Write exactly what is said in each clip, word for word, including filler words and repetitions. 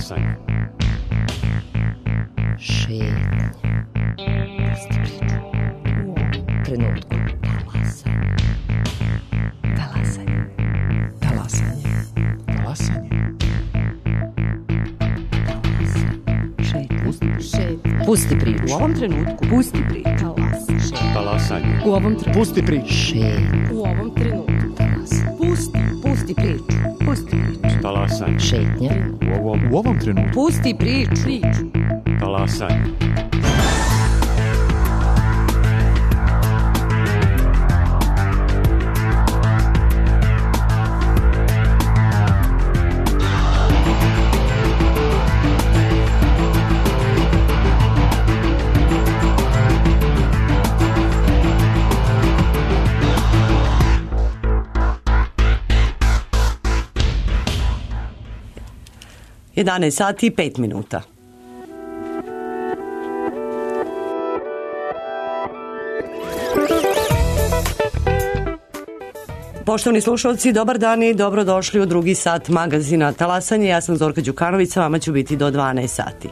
Talasanje. Šetnje. Pusti priču. U ovom trenutku. Talasanje. Talasanje. Talasanje. Šetnje. Pusti priču. U ovom trenutku. Pusti priču. Talasanje. U ovom trenutku. Pusti priču. Šetnje. U ovom trenutku. Pusti. Pusti priču. Pusti priču. Talasanje. Šetnja. U ovom, U ovom trenutku. Pusti priču. Priču. talasanje. jedanaest sati i pet minuta. Poštovani slušalci, dobar dan i dobrodošli u drugi sat magazina Talasanje. Ja sam Zorka Đukanović, sa vama ću biti do dvanaest sati.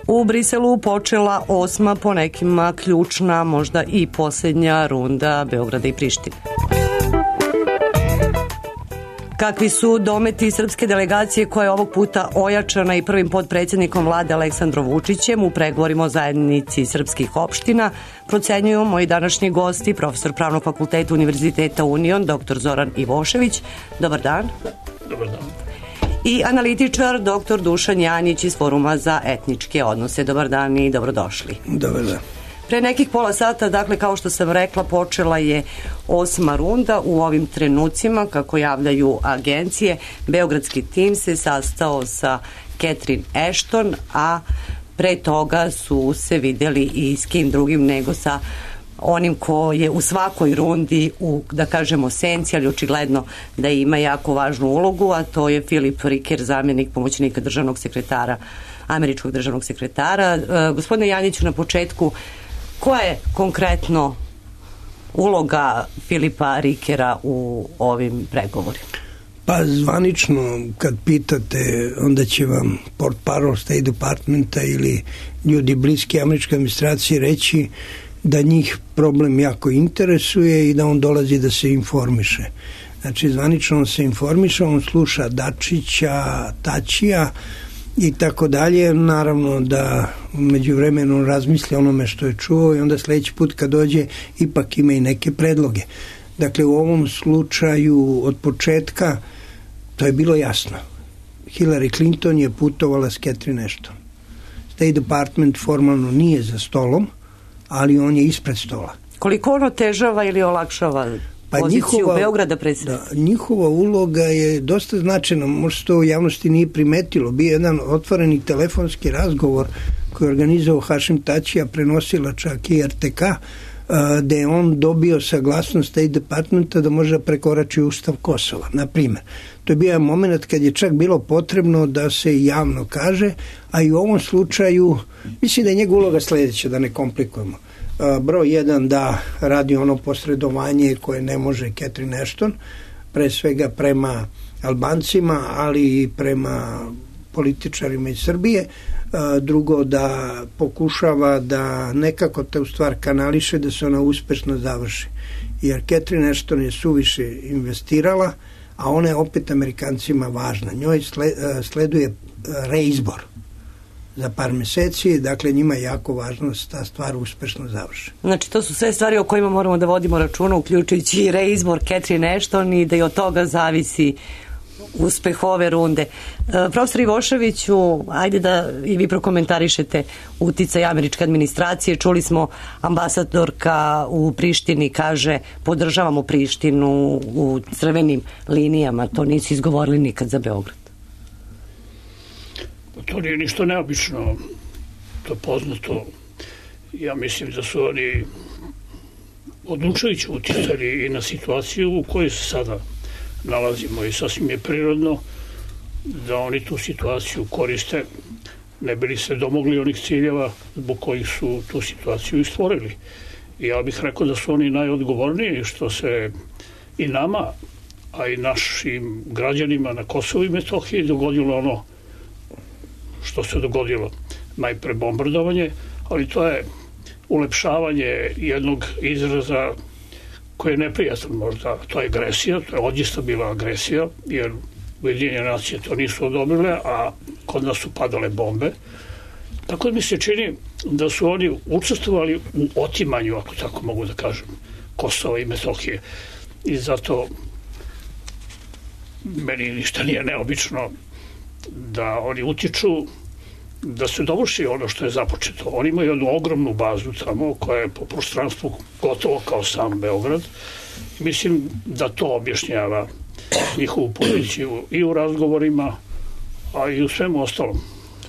U Briselu počela osma, po nekima ključna, možda i posljednja runda Beograda i Prištine. Kakvi su dometi srpske delegacije koja je ovog puta ojačana i prvim potpredsjednikom vlade Aleksandrom Vučićem u pregovorima o zajednici srpskih opština, procenjuju moji današnji gosti, profesor Pravnog fakulteta Univerziteta Union, doktor Zoran Ivošević. Dobar dan. Dobar dan. I analitičar doktor Dušan Janjić iz Foruma za etničke odnose. Dobar dan i dobrodošli. Dobar dan. Pre nekih pola sata, dakle, kao što sam rekla, počela je osma runda. U ovim trenucima, kako javljaju agencije, beogradski tim se sastao sa Catherine Ashton, a pre toga su se videli i s kim drugim nego sa onim ko je u svakoj rundi u, da kažemo, senci, ali očigledno da ima jako važnu ulogu, a to je Filip Riker, zamjenik pomoćnika državnog sekretara, američkog državnog sekretara. E, gospodine Janjiću, na početku, koja je konkretno uloga Filipa Rikera u ovim pregovorima? Pa zvanično, kad pitate, onda će vam portparol State Departmenta ili ljudi bliski američke administracije reći da njih problem jako interesuje i da on dolazi da se informiše. Znači, zvanično on se informiše, on sluša Dačića, Tačija i tako dalje. Naravno da među vremenu razmisli onome što je čuo i onda sljedeći put kad dođe ipak ima i neke predloge. Dakle, u ovom slučaju od početka to je bilo jasno. Hillary Clinton je putovala s Catherine Ashton. State Department formalno nije za stolom, ali on je ispred stola. Koliko ono težava ili olakšava pa poziciju njihova, Beograda predsjednika? Da, njihova uloga je dosta značajna, možda to u javnosti nije primetilo. Bio jedan otvoreni telefonski razgovor koji je organizovao Hašim Tačija, prenosila čak i R T K, gde je on dobio saglasnost State Departmenta da može prekorači Ustav Kosova, na primjer. To je bio moment kad je čak bilo potrebno da se javno kaže, a i u ovom slučaju mislim da je njegova uloga sljedeća, da ne komplikujemo. Broj jedan, da radi ono posredovanje koje ne može Catherine Ashton, pre svega prema Albancima, ali i prema političarima iz Srbije. Drugo, da pokušava da nekako te u stvar kanališe da se ona uspešno završi. Jer Catherine Ashton je suviše investirala, a ona je opet Amerikancima važna. Njoj sleduje reizbor za par meseci, dakle njima je jako važno da se ta stvar uspešno završi. Znači, to su sve stvari o kojima moramo da vodimo računa, uključujući i reizbor Catherine Ashton, i da i od toga zavisi uspeh ove runde. E, profesor Ivoševiću, ajde da i vi prokomentarišete uticaj američke administracije. Čuli smo, ambasadorka u Prištini kaže podržavamo Prištinu u crvenim linijama. To nisu izgovorili nikad za Beograd. To nije ništa neobično, to je poznato. Ja mislim da su oni odlučujući uticali i na situaciju u kojoj se sada nalazimo i sasvim je prirodno da oni tu situaciju koriste, ne bi li se domogli onih ciljeva zbog kojih su tu situaciju i stvorili. I ja bih rekao da su oni najodgovorniji što se i nama a i našim građanima na Kosovu i Metohiji dogodilo ono što se dogodilo. Najpre bombardovanje, ali to je ulepšavanje jednog izraza koji je neprijatan možda. To je agresija, to je odista bila agresija, jer Ujedinjene nacije to nisu odobrile, a kod nas su padale bombe. Tako da mi se čini da su oni učestvovali u otimanju, ako tako mogu da kažem, Kosova i Metohije. I zato meni ništa nije neobično da oni utiču da se dovrši ono što je započeto. Oni imaju jednu ogromnu bazu tamo koja je po prostranstvu gotovo kao sam Beograd. Mislim da to objašnjava njihovu poziciju i u razgovorima, a i u svemu ostalom.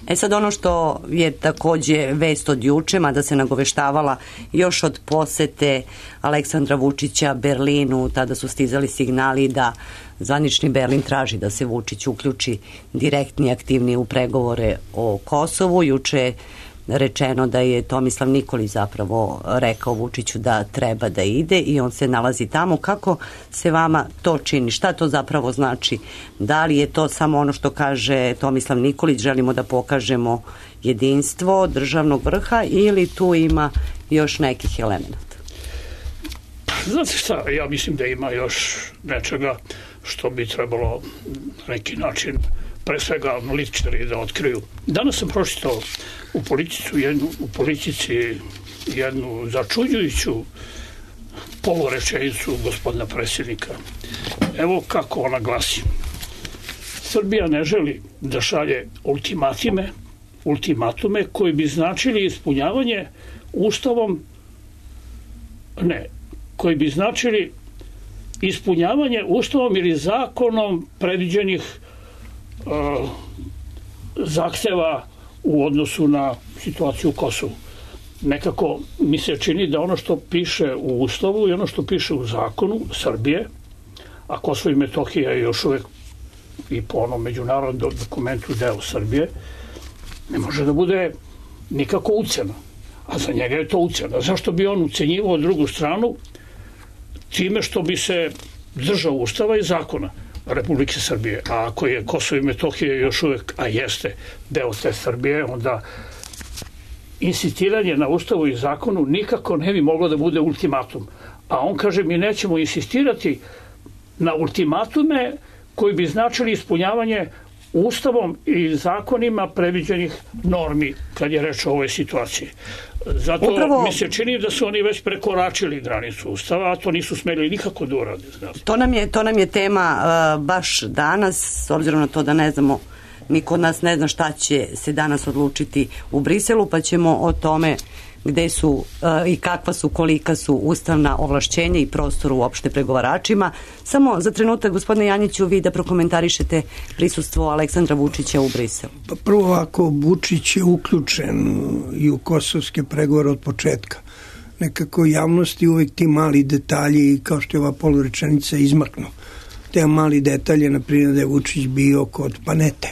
E sad ono što je takođe vest od juče, mada se nagoveštavala još od posete Aleksandra Vučića Berlinu, tada su stizali signali da zvanični Berlin traži da se Vučić uključi direktni aktivni u pregovore o Kosovu. Juče je rečeno da je Tomislav Nikolić zapravo rekao Vučiću da treba da ide i on se nalazi tamo. Kako se vama to čini? Šta to zapravo znači? Da li je to samo ono što kaže Tomislav Nikolić, želimo da pokažemo jedinstvo državnog vrha, ili tu ima još nekih elemenata? Znate šta, ja mislim da ima još nečega što bi trebalo na neki način pre svega analitičari da otkriju. Danas sam pročitao u politici jednu, u politici jednu začuđujuću polurečenicu gospodina predsjednika. Evo kako ona glasi. Srbija ne želi da šalje ultimatime, ultimatume koji bi značili ispunjavanje ustavom, ne, koji bi značili ispunjavanje ustavom ili zakonom predviđenih uh, zahteva u odnosu na situaciju u Kosovu. Nekako mi se čini da ono što piše u ustavu i ono što piše u zakonu Srbije, a Kosovo i Metohija je još uvek i po onom međunarodnom dokumentu deo Srbije, ne može da bude nikako ucena. A za njega je to ucena. Zašto bi on ucenjivao drugu stranu time što bi se držao ustava i zakona Republike Srbije? A ako je Kosovo i Metohija još uvek, a jeste deo te Srbije, onda insistiranje na ustavu i zakonu nikako ne bi moglo da bude ultimatum. A on kaže, mi nećemo insistirati na ultimatume koji bi značili ispunjavanje ustavom i zakonima predviđenih normi kad je reč o ovoj situaciji. Zato Upravo, mi se čini da su oni već prekoračili granicu ustava, a to nisu smeli nikako da urade. To nam je, to nam je tema uh, baš danas, s obzirom na to da ne znamo, niko od nas ne zna šta će se danas odlučiti u Briselu, pa ćemo o tome gde su uh, i kakva su, kolika su ustavna ovlašćenja i prostor uopšte pregovaračima. Samo za trenutak, gospodine Janjiću, vi da prokomentarišete prisustvo Aleksandra Vučića u Briselu. Pa prvo, ako Vučić je uključen i u kosovske pregovore od početka, nekako javnosti uvek ti mali detalji, kao što je ova polurečenica, izmaknu. Te mali detalje, na primjer da je Vučić bio kod Panete,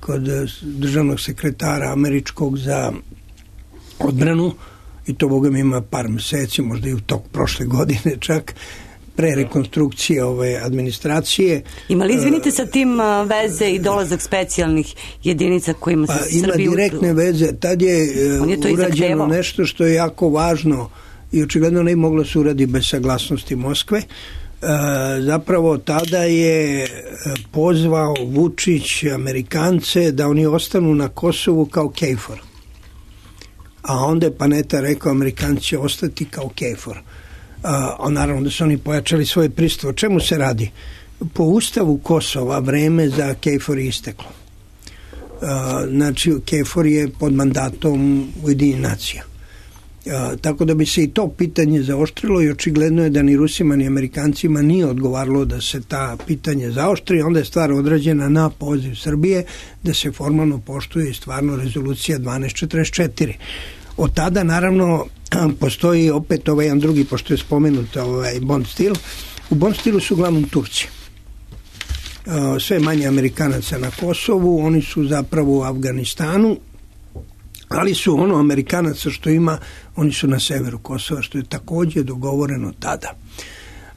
kod državnog sekretara američkog za odbranu, i to boga mi ima par meseci, možda i u tok prošle godine čak, pre rekonstrukcije ove administracije. Ima li, izvinite, sa tim veze i dolazak specijalnih jedinica kojima se pa, Srbiju... Ima direktne veze. Tad je, je urađeno nešto što je jako važno i očigledno ne moglo se uradi bez saglasnosti Moskve. E, zapravo tada je pozvao Vučić Amerikance da oni ostanu na Kosovu kao KFOR. A onda je Paneta rekao, Amerikanci će ostati kao KFOR. A, a naravno da su oni pojačali svoje prisustvo. O čemu se radi? Po ustavu Kosova vreme za KFOR je isteklo. A, znači, KFOR je pod mandatom Ujedinjenih nacija. A, tako da bi se i to pitanje zaoštrilo i očigledno je da ni Rusima ni Amerikancima nije odgovaralo da se ta pitanje zaoštri. Onda je stvar odrađena na poziv Srbije da se formalno poštuje stvarno rezolucija dvanaest četrdeset četiri. Od tada, naravno, postoji opet ovaj jedan drugi, pošto je spomenut ovaj Bond stil. U Bond stilu su uglavnom Turci. Sve manje Amerikanaca na Kosovu, oni su zapravo u Afganistanu, ali su ono Amerikanaca što ima, oni su na severu Kosova, što je takođe dogovoreno tada.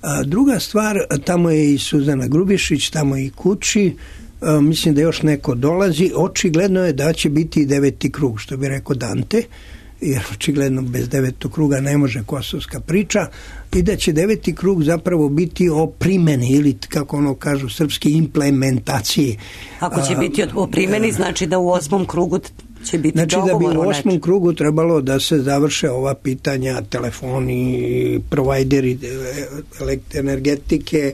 A druga stvar, tamo je i Suzana Grubišić, tamo je i Kuči, a, mislim da još neko dolazi, očigledno je da će biti i deveti krug, što bi rekao Dante, jer očigledno bez devetog kruga ne može kosovska priča, i da će deveti krug zapravo biti o primjeni ili, kako ono kažu srpski, implementaciji. Ako će biti o primjeni, znači da u osmom krugu će biti znači dogovor o nečem. Znači da bi u osmom nečem. krugu trebalo da se završe ova pitanja, telefoni, provajderi energetike,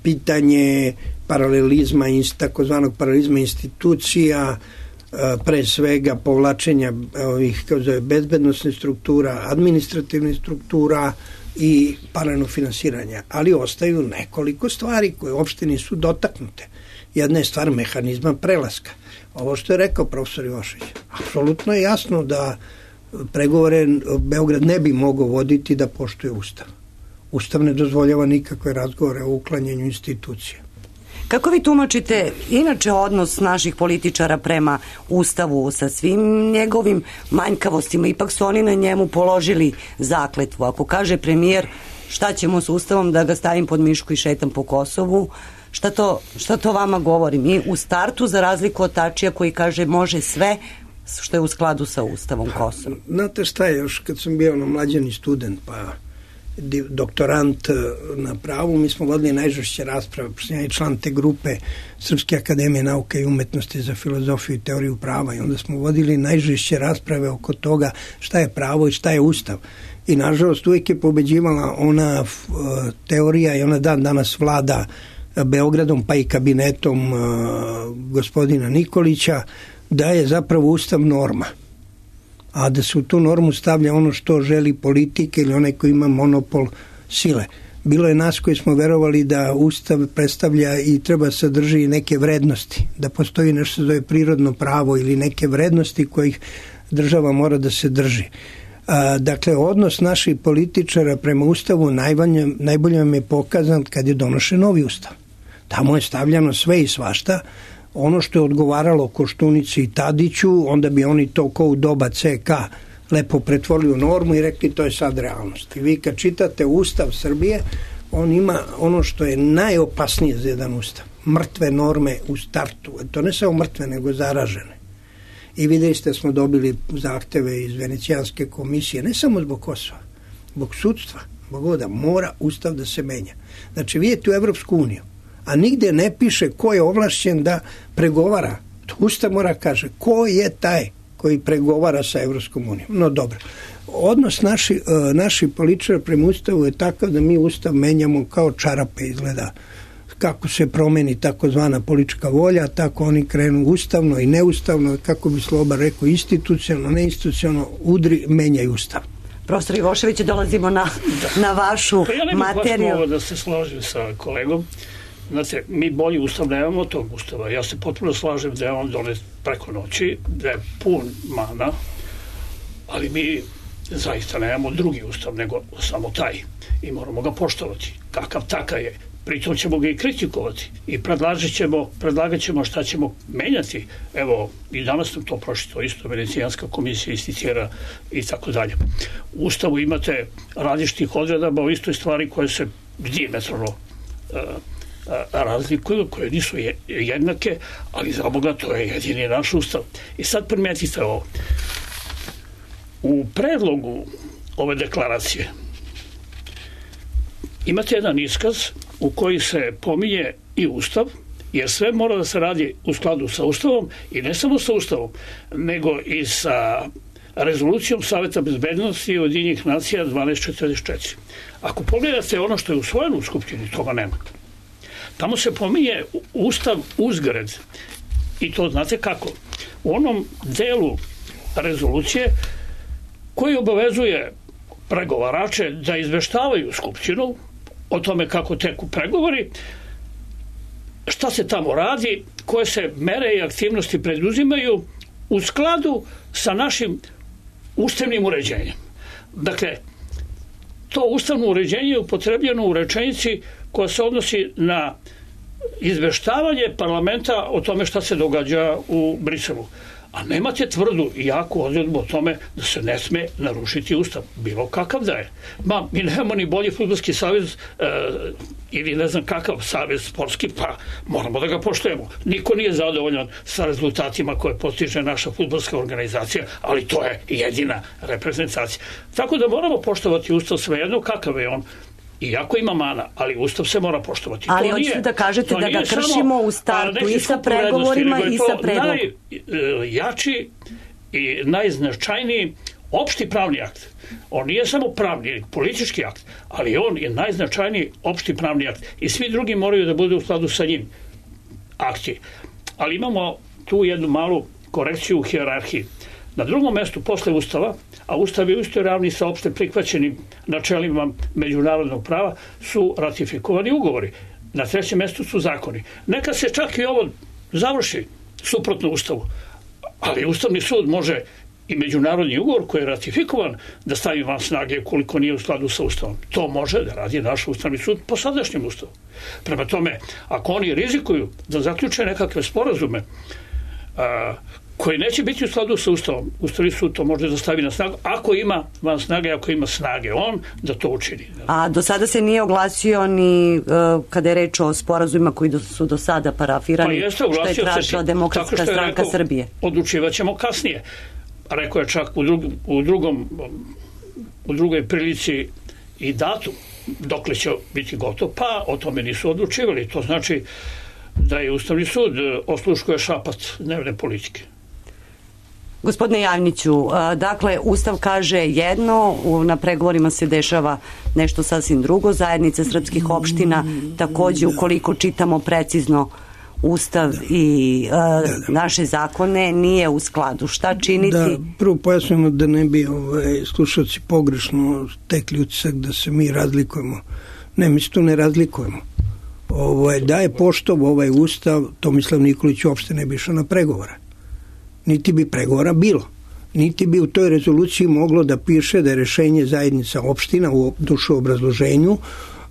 pitanje paralelizma, takozvanog paralelizma institucija, pre svega povlačenja ovih, kao zove, bezbednostnih struktura, administrativnih struktura i paralelno finansiranja. Ali ostaju nekoliko stvari koje uopšte nisu dotaknute. Jedna je stvar mehanizma prelaska. Ovo što je rekao profesor Ivošević, apsolutno je jasno da pregovore Beograd ne bi mogao voditi da poštuje Ustav. Ustav ne dozvoljava nikakve razgovore o uklanjanju institucija. Kako vi tumačite inače odnos naših političara prema Ustavu sa svim njegovim manjkavostima? Ipak su oni na njemu položili zakletvu. Ako kaže premijer šta ćemo s Ustavom, da ga stavim pod mišku i šetam po Kosovu, šta to, šta to vama govori? Mi u startu, za razliku od Tačija koji kaže može sve što je u skladu sa Ustavom Kosova. Znate šta je, još kad sam bio ono mlađani student, pa doktorant na pravu, mi smo vodili najžešće rasprave, pošto sam ja i član te grupe Srpske akademije nauke i umetnosti za filozofiju i teoriju prava, i onda smo vodili najžešće rasprave oko toga šta je pravo i šta je Ustav. I nažalost uvijek je pobeđivala ona uh, teorija, i ona dan danas vlada Beogradom, pa i kabinetom uh, gospodina Nikolića, da je zapravo Ustav norma, a da se u tu normu stavlja ono što želi politika ili onaj koji ima monopol sile. Bilo je nas koji smo verovali da Ustav predstavlja i treba sadrži neke vrednosti, da postoji nešto što zove prirodno pravo ili neke vrednosti kojih država mora da se drži. A, dakle, odnos naših političara prema Ustavu najbolje, najbolje vam je pokazan kad je donošen novi Ustav. Tamo je stavljano sve i svašta. Ono što je odgovaralo Koštunici i Tadiću, onda bi oni to ko u doba ce ka lepo pretvorili u normu i rekli to je sad realnost. I vi kad čitate Ustav Srbije, on ima ono što je najopasnije za jedan Ustav. Mrtve norme u startu. To ne samo mrtve, nego zaražene. I vidjeli ste, smo dobili zahteve iz Venecijanske komisije, ne samo zbog Kosova, zbog sudstva, zbog ovoga, mora Ustav da se menja. Znači, vidite u Evropsku uniju, a nigde ne piše ko je ovlašćen da pregovara. To Ustav mora kaže ko je taj koji pregovara sa Evropskom unijom. No dobro. Odnos naši, naši političara prema Ustavu je takav da mi Ustav menjamo kao čarape, izgleda. Kako se promeni takozvana politička volja, tako oni krenu ustavno i neustavno, kako bi Sloba rekao, institucionalno, neinstitucionalno, udri, menjaju Ustav. Profesor Ivošević, dolazimo na, na vašu pa ja ne bih materiju. baš da se složim sa kolegom. Znate, mi bolji Ustav nemamo tog Ustava. Ja se potpuno slažem da je on donet preko noći, da je pun mana, ali mi zaista nemamo drugi Ustav nego samo taj. I moramo ga poštovati. Kakav takav je. Pritom ćemo ga i kritikovati i predlagat ćemo, predlagat ćemo šta ćemo menjati. Evo, i danas nam to prošlo, isto Venecijanska komisija isticira i tako dalje. U Ustavu imate različitih odredaba o istoj stvari koje se diametralno uh, uh, razlikuju, koje nisu jednake, ali za Boga to je jedini naš Ustav. I sad primetite ovo. U predlogu ove deklaracije imate jedan iskaz u koji se pominje i Ustav, jer sve mora da se radi u skladu sa Ustavom i ne samo sa Ustavom, nego i sa rezolucijom Saveta bezbednosti Ujedinjenih nacija dvanaest četrdeset četiri. Ako pogledate ono što je usvojeno u Skupštini, toga nema. Tamo se pominje Ustav uzgred i to znate kako. U onom delu rezolucije koji obavezuje pregovarače da izveštavaju Skupštinu o tome kako teku pregovori, šta se tamo radi, koje se mere i aktivnosti preduzimaju u skladu sa našim ustavnim uređenjem. Dakle, to ustavno uređenje je upotrebljeno u rečenici koja se odnosi na izveštavanje parlamenta o tome šta se događa u Briselu. A nemate tvrdu i jaku odredbu o tome da se ne sme narušiti ustav, bilo kakav da je. Ma, mi nemamo ni bolji fudbalski savez e, ili ne znam kakav savez sportski, pa moramo da ga poštujemo. Niko nije zadovoljan sa rezultatima koje postiže naša fudbalska organizacija, ali to je jedina reprezentacija. Tako da moramo poštovati ustav svejedno kakav je on. Iako ima mana, ali ustav se mora poštovati. Ali hoćete da kažete da ga kršimo u startu i sa pregovorima i sa predlogom. Najjači i najznačajniji opšti pravni akt. On nije samo pravni, politički akt, ali on je najznačajniji opšti pravni akt. I svi drugi moraju da budu u skladu sa njim akti. Ali imamo tu jednu malu korekciju u hijerarhiji. Na drugom mestu posle ustava, a ustav je u istoj ravni sa opšte prihvaćenim načelima međunarodnog prava, su ratifikovani ugovori. Na trećem mestu su zakoni. Neka se čak i ovo završi suprotno ustavu, ali Ustavni sud može i međunarodni ugovor koji je ratifikovan da stavi van snage ukoliko nije u skladu sa ustavom. To može da radi naš Ustavni sud po sadašnjem ustavu. Prema tome, ako oni rizikuju da zaključe nekakve sporazume a, koji neće biti u skladu sa ustavom, Ustavni sud to može da stavi na snagu, ako ima van snage, ako ima snage on, da to učini. A do sada se nije oglasio ni uh, kada je reč o sporazumima koji do, su do sada parafirani, pa jeste, što je tražila Demokratska je stranka rekao, Srbije. Odlučivat ćemo kasnije. Rekao je čak u, drug, u, drugom, u drugoj prilici i datum dokle će biti gotov, pa o tome nisu odlučivali. To znači da je Ustavni sud osluškuje šapat dnevne politike. Gospodine Javniću, dakle, Ustav kaže jedno, na pregovorima se dešava nešto sasvim drugo, zajednica srpskih opština takođe, ukoliko čitamo precizno Ustav i uh, naše zakone, nije u skladu. Šta činiti? Da, prvo pojasnimo da ne bi ovaj, slušalci pogrešno tekli utisak da se mi razlikujemo. Ne, mi se tu ne razlikujemo. Ovaj, da je poštovo ovaj Ustav, Tomislav Nikolić uopšte ne bi išao na pregovore. Niti bi pregovora bilo. Niti bi u toj rezoluciji moglo da piše da je rešenje zajednica opština u dušu obrazloženju,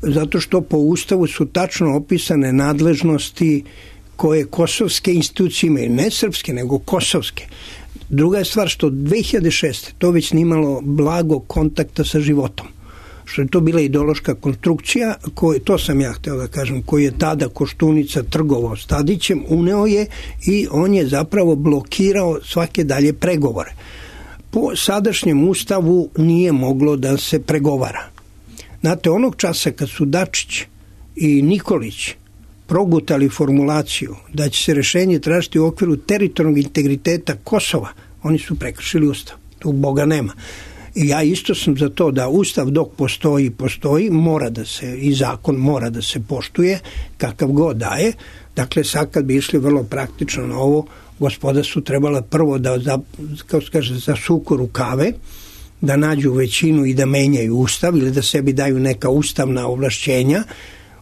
zato što po Ustavu su tačno opisane nadležnosti koje kosovske institucije imaju, ne srpske, nego kosovske. Druga je stvar što dve hiljade šeste to već nimalo blago kontakta sa životom. Što je to bila ideološka konstrukcija, koji, to sam ja hteo da kažem, koji je tada Koštunica trgovao s Tadićem, uneo je i on je zapravo blokirao svake dalje pregovore. Po sadašnjem Ustavu nije moglo da se pregovara. Znate, onog časa kad su Dačić i Nikolić progutali formulaciju da će se rešenje tražiti u okviru teritorijalnog integriteta Kosova, oni su prekršili Ustav. Tu Boga nema. I ja isto sam za to da Ustav dok postoji, postoji, mora da se, i zakon mora da se poštuje, kakav god daje. Dakle, sad kad bi išli vrlo praktično na ovo, gospoda su trebala prvo da, za, kao se kaže, zasuku rukave, da nađu većinu i da menjaju Ustav ili da sebi daju neka ustavna ovlašćenja.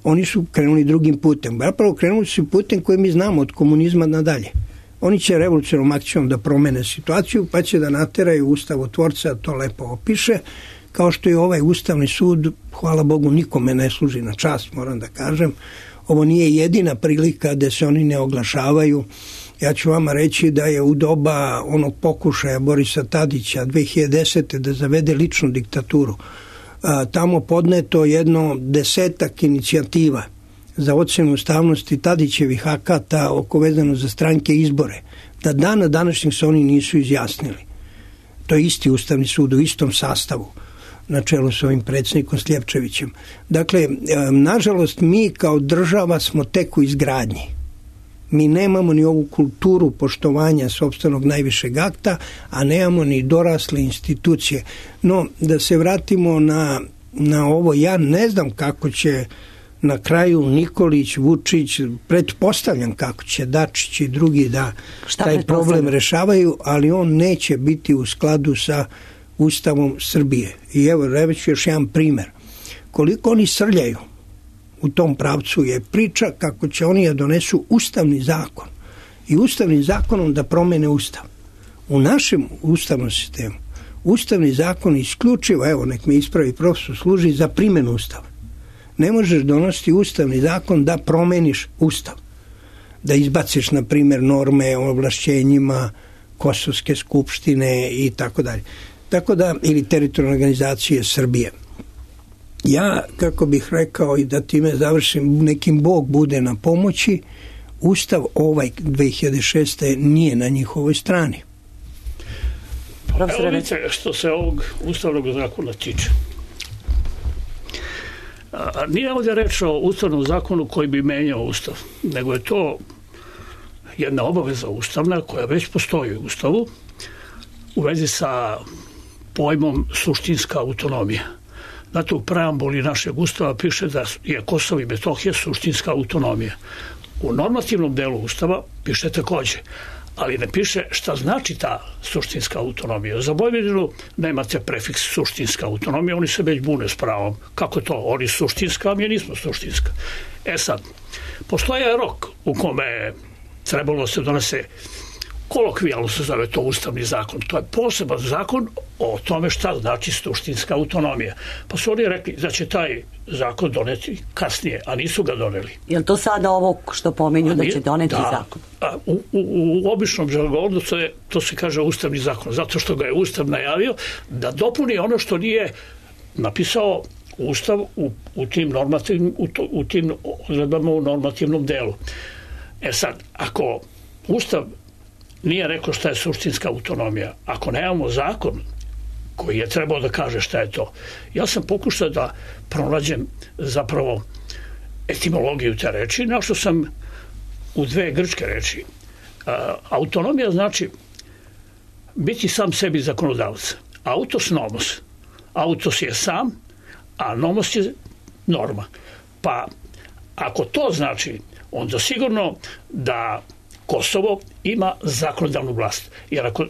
Oni su krenuli drugim putem. Zapravo krenuli su putem koji mi znamo od komunizma nadalje. Oni će revolucionarnom akcijom da promene situaciju, pa će da nateraju ustavotvorca, to lepo opiše, kao što je ovaj Ustavni sud, hvala Bogu, nikome ne služi na čast, moram da kažem. Ovo nije jedina prilika da se oni ne oglašavaju. Ja ću vama reći da je u doba onog pokušaja Borisa Tadića dve hiljade desete da zavede ličnu diktaturu, a, tamo podneto jedno desetak inicijativa za ocenu ustavnosti Tadićevih akata oko vezano za stranke izbore. Da dana današnjeg se oni nisu izjasnili. To je isti Ustavni sud u istom sastavu na čelu s ovim predsjednikom Sljepčevićem. Dakle, nažalost, mi kao država smo tek u izgradnji. Mi nemamo ni ovu kulturu poštovanja sopstvenog najvišeg akta, a nemamo ni dorasle institucije. No, da se vratimo na, na ovo, ja ne znam kako će na kraju Nikolić, Vučić, pretpostavljam kako će Dačić i drugi da Šta taj problem rešavaju, ali on neće biti u skladu sa Ustavom Srbije. I evo, reći još jedan primer. Koliko oni srljaju u tom pravcu je priča kako će oni da donesu ustavni zakon i ustavnim zakonom da promene Ustav. U našem ustavnom sistemu ustavni zakon isključivo, evo nek me ispravi profesor, služi za primjenu Ustava. Ne možeš donositi ustavni zakon da promeniš Ustav. Da izbaciš, na primjer, norme o ovlašćenjima Kosovske skupštine i tako dalje. Tako da, ili teritorijalne organizacije Srbije. Ja, kako bih rekao i da time završim, nekim Bog bude na pomoći, Ustav ovaj dve hiljade šeste. nije na njihovoj strani. Evo vidite što se ovog ustavnog zakona tiče. A, nije ovdje reč o ustavnom zakonu koji bi menjao Ustav, nego je to jedna obaveza ustavna koja već postoji u Ustavu u vezi sa pojmom suštinska autonomija. Znate, u preambuli našeg Ustava piše da je Kosovo i Metohija suštinska autonomija. U normativnom delu Ustava piše takođe, ali ne piše šta znači ta suštinska autonomija. Za Vojvodinu nemate prefiks suštinska autonomija, oni se već bune s pravom. Kako to? Oni suštinska, a mi nismo suštinska. E sad, postoje rok u kome trebalo se donese, kolokvijalno se zove to ustavni zakon. To je poseban zakon o tome šta znači suštinska autonomija. Pa su oni rekli da će taj zakon doneti kasnije, a nisu ga doneli. Je li to sada ovo što pominju da će doneti da, zakon? A, u, u, u običnom žargonu to, to se kaže ustavni zakon, zato što ga je Ustav najavio da dopuni ono što nije napisao Ustav u, u tim normativnim, u, to, u tim odredbama u normativnom delu. E sad, ako Ustav nije rekao šta je suštinska autonomija, ako nemamo zakon koji je trebao da kaže šta je to, ja sam pokušao da pronađem zapravo etimologiju te reči, našao sam u dve grčke reči. A, autonomija znači biti sam sebi zakonodavac. Autos nomos. Autos je sam, a nomos je norma. Pa ako to znači, onda sigurno da Kosovo ima zakonodavnu vlast. Jer ako,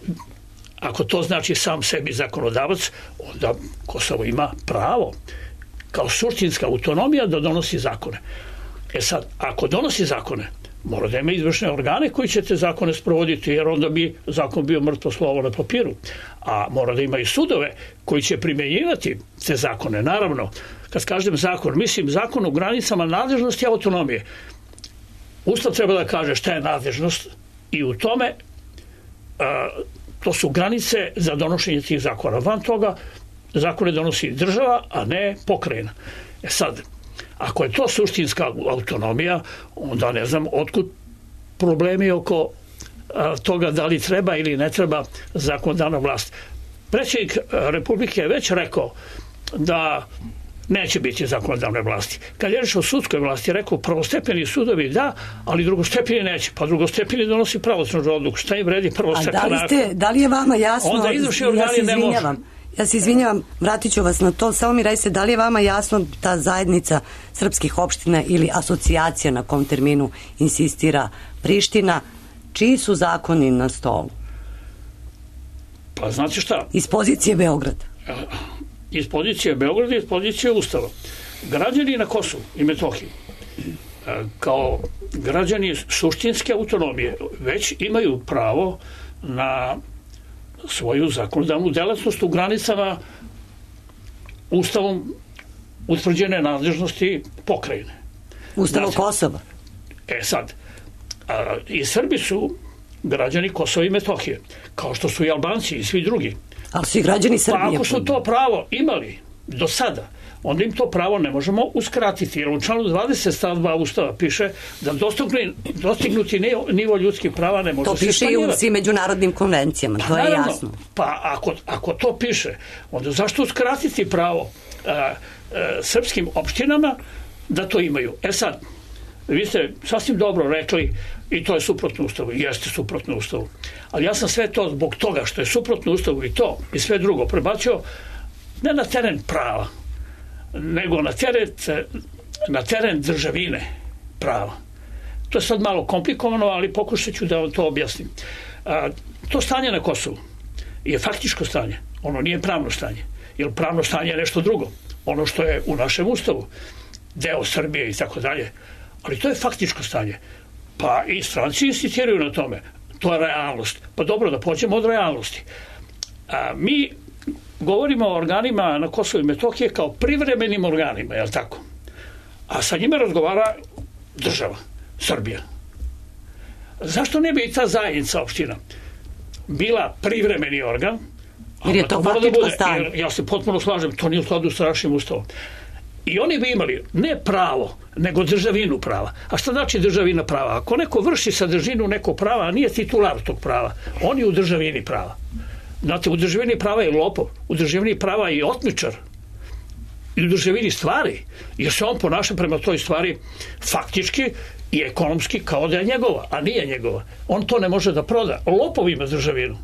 ako to znači sam sebi zakonodavac, onda Kosovo ima pravo kao suštinska autonomija da donosi zakone. E sad, ako donosi zakone, mora da ima izvršne organe koji će te zakone sprovoditi, jer onda bi zakon bio mrtvo slovo na papiru. A mora da ima i sudove koji će primjenjivati te zakone. Naravno, kad kažem zakon, mislim zakon u granicama nadležnosti i autonomije. Ustav treba da kaže šta je nadležnost i u tome a, to su granice za donošenje tih zakona. Van toga zakone donosi država, a ne pokrajina. E sad, ako je to suštinska autonomija, onda ne znam otkud problemi oko a, toga da li treba ili ne treba zakonodavna vlast. Predsjednik Republike je već rekao da neće biti zakonodavne vlasti. Kad je rečeno o sudskoj vlasti, je rekao prvostepeni sudovi da, ali drugostepeni neće. Pa drugostepeni donosi pravosnažnu odluku. Šta im vredi prvostepena? A da li, ste, da li je vama jasno? Onda izvršni organi ja se ne može. Ja se izvinjavam, vratit ću vas na to. Samo mi recite, da li je vama jasno ta zajednica srpskih opština ili asocijacija na kom terminu insistira Priština, čiji su zakoni na stolu? Pa znate šta? Iz pozicije Beograda. Iz pozicije Beograda i iz pozicije Ustava. Građani na Kosovu i Metohiji kao građani suštinske autonomije već imaju pravo na svoju zakonodavnu delatnost u granicama Ustavom utvrđene nadležnosti pokrajine. Ustavom Kosova. E sad, a, i Srbi su građani Kosova i Metohije, kao što su i Albanci i svi drugi. Ali svi građani Srbije. Pa ako su to pravo imali do sada, onda im to pravo ne možemo uskratiti. Jer u članu dvadeset stav dva Ustava piše da dostignuti nivo ljudskih prava ne može se smanjivati. To piše i u svim međunarodnim konvencijama, pa, to je naravno, jasno. Pa ako, ako to piše, onda zašto uskratiti pravo a, a, srpskim opštinama da to imaju? E sad, vi ste sasvim dobro rekli i to je suprotno Ustavu, jeste suprotno Ustavu. Ali ja sam sve to zbog toga što je suprotno Ustavu i to i sve drugo prebacio ne na teren prava, nego na teren, na teren državine prava. To je sad malo komplikovano, ali pokušat ću da vam to objasnim. A, to stanje na Kosovu je faktičko stanje, ono nije pravno stanje, jer pravno stanje je nešto drugo, ono što je u našem Ustavu, deo Srbije i tako dalje, ali to je faktičko stanje. Pa i stranci insistiraju na tome. To je realnost. Pa dobro, da pođemo od realnosti. A, mi govorimo o organima na Kosovu i Metohije kao privremenim organima, je li tako? A sa njima razgovara država, Srbija. Zašto ne bi i ta zajednica opština bila privremeni organ, jer je to mora da faktičko bude, stanje. jer ja se potpuno slažem, to nije u skladu s našim ustavom. I oni bi imali ne pravo, nego državinu prava. A šta znači državina prava? Ako neko vrši sadržinu nekog prava, a nije titular tog prava, on je u državini prava. Znate, u državini prava je lopov, u državini prava je otmičar, i u državini stvari, jer se on ponaša prema toj stvari faktički i ekonomski kao da je njegova, a nije njegova. On to ne može da proda. Lopov ima državinu.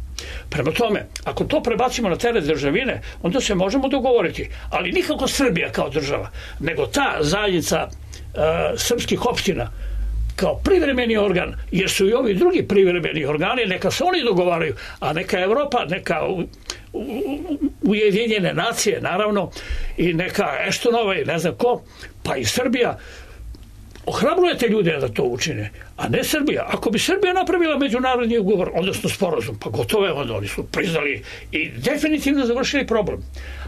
Prema tome, ako to prebacimo na teret državine, onda se možemo dogovoriti, ali nikako Srbija kao država, nego ta zajednica uh, srpskih opština kao privremeni organ, jer su i ovi drugi privremeni organi, neka se oni dogovaraju, a neka Evropa, neka u, u, Ujedinjene nacije, naravno, i neka Eštonova i ne znam ko, pa i Srbija, ohrabrujete ljude da to učine, a ne Srbija. Ako bi Srbija napravila međunarodni ugovor, odnosno sporazum, pa gotovo je, onda oni su priznali i definitivno završili problem.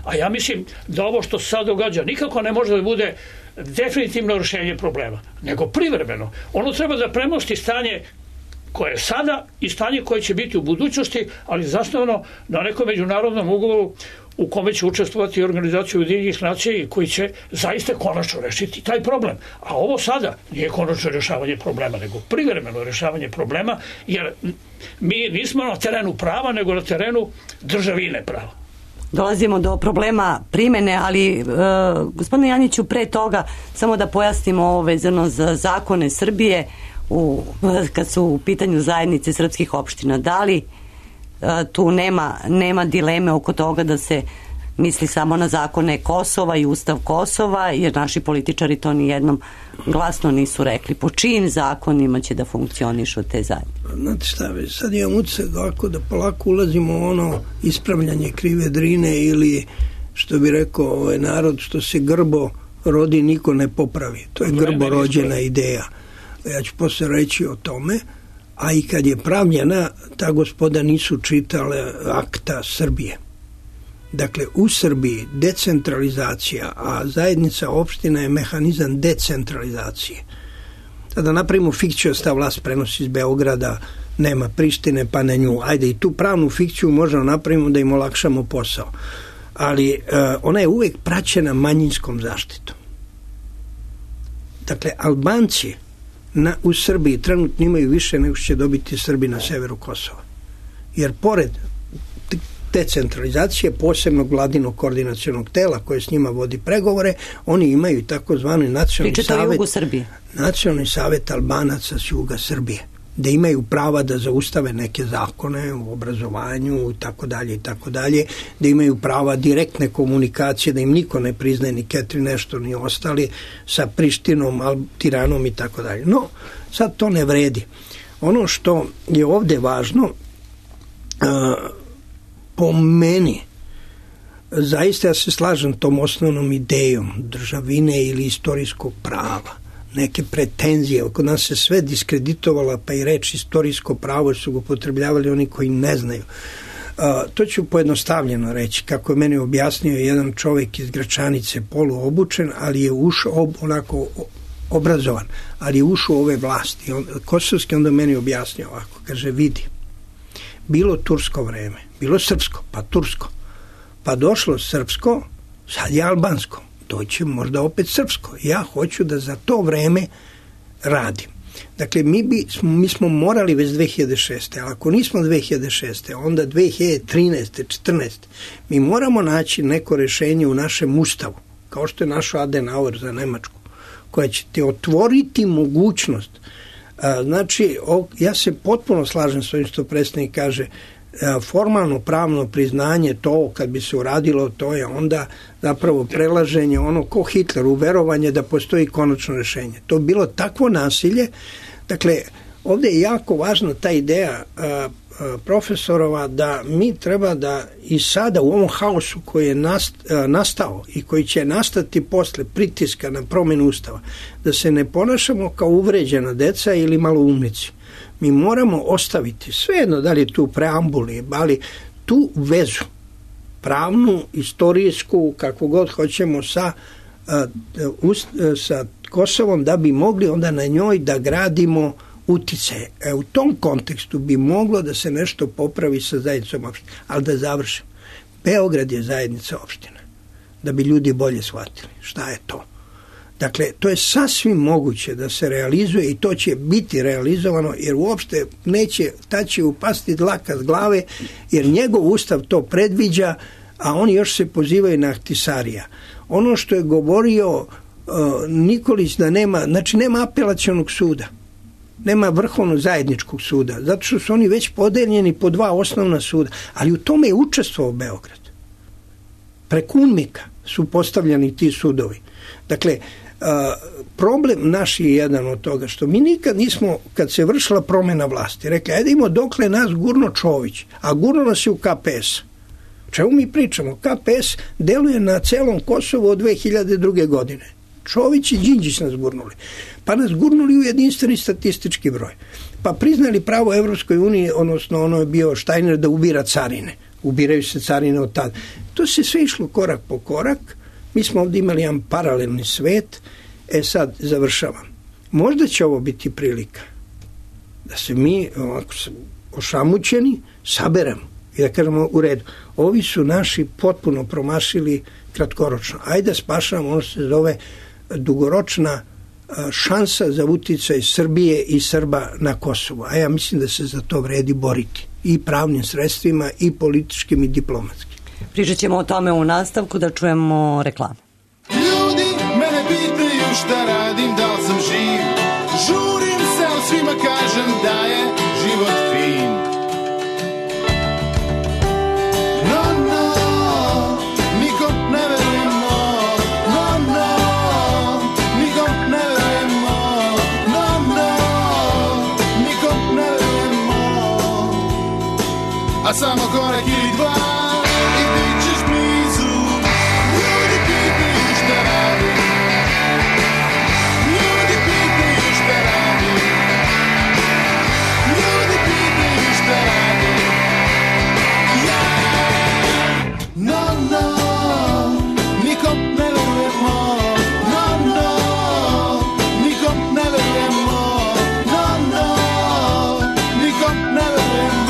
A ja mislim da ovo što se sad događa nikako ne može da bude definitivno rješenje problema, nego privremeno. Ono treba da premosti stanje koje je sada i stanje koje će biti u budućnosti, ali zasnovano na nekom međunarodnom ugovoru u kome će učestvovati organizacija Ujedinjenih nacija i koji će zaista konačno rešiti taj problem. A ovo sada nije konačno rješavanje problema, nego privremeno rješavanje problema, jer mi nismo na terenu prava, nego na terenu državine prava. Dolazimo do problema primene, ali e, gospodine Janjiću, pre toga samo da pojasnimo ovo vezano za zakone Srbije u, kad su u pitanju zajednice srpskih opština. Da li tu nema, nema dileme oko toga da se misli samo na zakone Kosova i Ustav Kosova, jer naši političari to ni jednom glasno nisu rekli po čijim zakonima će da funkcionišu te zajednice. Znate šta, sad imam utisak ovako da polako ulazimo u ono ispravljanje krive drine, ili što bi rekao ovaj narod, što se grbo rodi niko ne popravi. To je grbo rođena ideja. Ja ću posle reći o tome. A i kad je pravljena, ta gospoda nisu čitale akta Srbije. Dakle, u Srbiji decentralizacija, a zajednica opština je mehanizam decentralizacije. Sada napravimo fikciju, ta vlast prenosi iz Beograda, nema Prištine, pa na nju. Ajde, i tu pravnu fikciju možemo napravimo da im olakšamo posao. Ali e, ona je uvek praćena manjinskom zaštitom. Dakle, Albanci Na, u Srbiji trenutno imaju više nego što će dobiti Srbi na severu Kosova. Jer pored decentralizacije posebnog vladinog koordinacionog tela koje s njima vodi pregovore, oni imaju takozvani nacionalni savet, nacionalni savet Albanaca s juga Srbije, da imaju prava da zaustave neke zakone u obrazovanju i tako dalje i tako dalje, da imaju prava direktne komunikacije, da im niko ne priznaje ni Ketri nešto ni ostali sa Prištinom, Tiranom i tako dalje. No, sad to ne vredi. Ono što je ovde važno, uh, po meni, zaista ja se slažem tom osnovnom idejom državine ili istorijskog prava, neke pretenzije, kod nas se sve diskreditovala, pa i reč istorijsko pravo su ga upotrebljavali oni koji ne znaju. Uh, to ću pojednostavljeno reći, kako je meni objasnio jedan čovjek iz Gračanice, poluobučen, ali je ušao ob, onako obrazovan, ali je ušao u ove vlasti. On, kosovski onda meni objasnio ovako, kaže, vidi, bilo tursko vreme, bilo srpsko, pa tursko, pa došlo srpsko, sad je albansko, doće možda opet srpsko. Ja hoću da za to vreme radim. Dakle, mi, bi, mi smo morali već dve hiljade šeste. Ali ako nismo dve hiljade šeste, onda dve hiljade trinaeste, četrnaeste. Mi moramo naći neko rešenje u našem ustavu, kao što je našo Adenauer za Nemačku, koja će ti otvoriti mogućnost. A, znači, o, ja se potpuno slažem s ovim što predstavnik kaže, formalno pravno priznanje, to kad bi se uradilo, to je onda zapravo prelaženje ono ko Hitler u verovanje da postoji konačno rešenje. To bi bilo takvo nasilje. Dakle, ovdje je jako važna ta ideja a, a, profesorova da mi treba da i sada u ovom haosu koji je nast, a, nastao i koji će nastati posle pritiska na promjenu ustava, da se ne ponašamo kao uvređena deca ili maloumnici. Mi moramo ostaviti, svejedno da li je tu preambuli, ali tu vezu, pravnu, istorijsku, kako god hoćemo, sa, sa Kosovom, da bi mogli onda na njoj da gradimo uticaje. E, u tom kontekstu bi moglo da se nešto popravi sa zajednicom opština. Ali da završim. Beograd je zajednica opština. Da bi ljudi bolje shvatili šta je to. Dakle, to je sasvim moguće da se realizuje i to će biti realizovano, jer uopšte neće, ta će upasti dlaka s glave, jer njegov ustav to predviđa, a oni još se pozivaju na Ahtisarija. Ono što je govorio uh, Nikolić da nema, znači nema apelacionog suda, nema vrhovnog zajedničkog suda, zato što su oni već podeljeni po dva osnovna suda, ali u tome je učestvovao Beograd. Preko UNMIK-a su postavljeni ti sudovi. Dakle, Uh, problem naš je jedan od toga što mi nikad nismo, kad se vršila promjena vlasti, rekli, ajde imamo dokle nas gurno Čović, a gurno nas je u K P S. Čemu mi pričamo? K P S deluje na celom Kosovu od dve hiljade druge. godine. Čović i Đinđić nas gurnuli. Pa nas gurnuli u jedinstveni statistički broj. Pa priznali pravo Evropskoj uniji, odnosno ono je bio Štajner da ubira carine. Ubiraju se carine od tada. To se sve išlo korak po korak. Mi smo ovdje imali jedan paralelni svet. E sad, završavam. Možda će ovo biti prilika da se mi ovako ošamućeni saberemo i da kažemo u redu. Ovi su naši potpuno promašili kratkoročno. Ajde da spašamo, ono se zove dugoročna šansa za uticaj Srbije i Srba na Kosovu. A ja mislim da se za to vredi boriti. I pravnim sredstvima, i političkim, i diplomatskim. Pričat ćemo o tome u nastavku, da čujemo reklamu. Ljudi mene pitaju šta radim, da li sam živ. Žurim se, ali svima kažem da je život fin. No, no, nikom ne verujemo. No, no, nikom ne verujemo. No, no, nikom ne verujemo. A samo korak ili dva i bit ćeš blizu. Ljudi pitaju šta radim. Ljudi pitaju šta radim. Ljudi pitaju šta radim. Ja, no, no, nikom ne verujemo. No, no, nikom ne verujemo. No, no, nikom ne verujemo.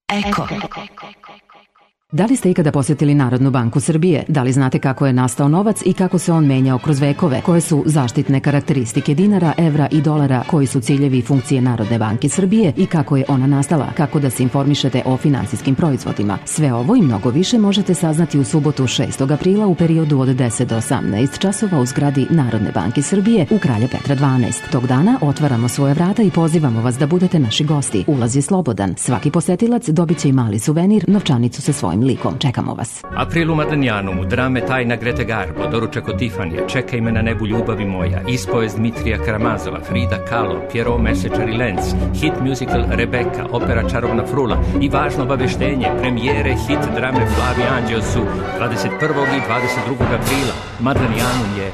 Eko. Da li ste ikada posjetili Narodnu banku Srbije? Da li znate kako je nastao novac i kako se on menjao kroz vekove? Koje su zaštitne karakteristike dinara, evra i dolara? Koji su ciljevi i funkcije Narodne banke Srbije i kako je ona nastala? Kako da se informišete o finansijskim proizvodima? Sve ovo i mnogo više možete saznati u subotu šestog aprila u periodu od deset do osamnaest časova u zgradi Narodne banke Srbije u Kralja Petra dvanaest. Tog dana otvaramo svoje vrata i pozivamo vas da budete naši gosti. Ulaz je slobodan. Svaki posetilac dobit će i mali suvenir, novčanicu sa svojim likom. Čekamo vas. April u Madanjanu, drame Tajna Grete Garbo, doručak od Tifanija, Čekaj me na nebu ljubavi moja, ispovest Dmitrija Karamazova, Frida Kahlo, Pierrot Mesečar i Lenz, hit musical Rebeka, opera Čarobna frula i važno obaveštenje, premijere hit drame Flavi Anđeo su dvadeset prvog i dvadeset drugog aprila. Madanjanum je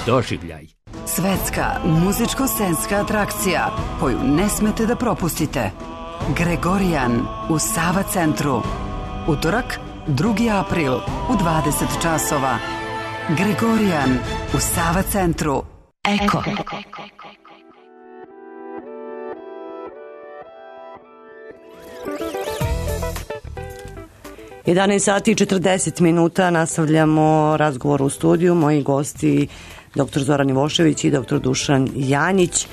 doživljaj. Svetska muzičko-scenska atrakcija koju ne smete da propustite. Gregorijan u Sava centru. Utorak, drugi april u dvadeset časova. Gregorijan u Sava centru. Eko. jedanaest sati i četrdeset minuta, nastavljamo razgovor u studiju. Moji gosti doktor Zoran Ivošević i doktor Dušan Janjić.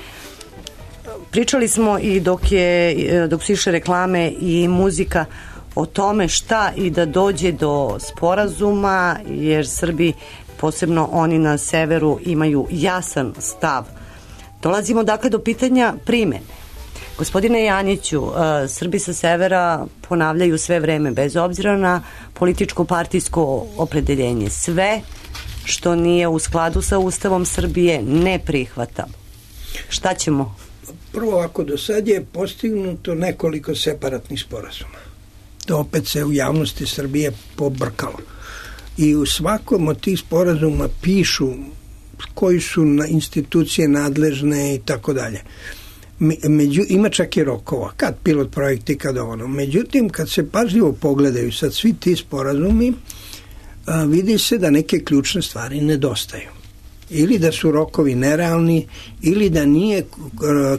Pričali smo i dok, je, dok su išle reklame i muzika o tome šta i da dođe do sporazuma, jer Srbi, posebno oni na severu, imaju jasan stav. Dolazimo dakle do pitanja primene. Gospodine Janjiću, Srbi sa severa ponavljaju sve vreme, bez obzira na političko partijsko opredeljenje, sve što nije u skladu sa Ustavom Srbije ne prihvata. Šta ćemo? Prvo, ako do sad je postignuto nekoliko separatnih sporazuma, to opet se u javnosti Srbije pobrkalo. I u svakom od tih sporazuma pišu koji su institucije nadležne i tako dalje. Među, ima čak i rokova, kad pilot projekti, kad ono. Međutim, kad se pažljivo pogledaju sad svi ti sporazumi, a, vidi se da neke ključne stvari nedostaju. Ili da su rokovi nerealni, ili da nije,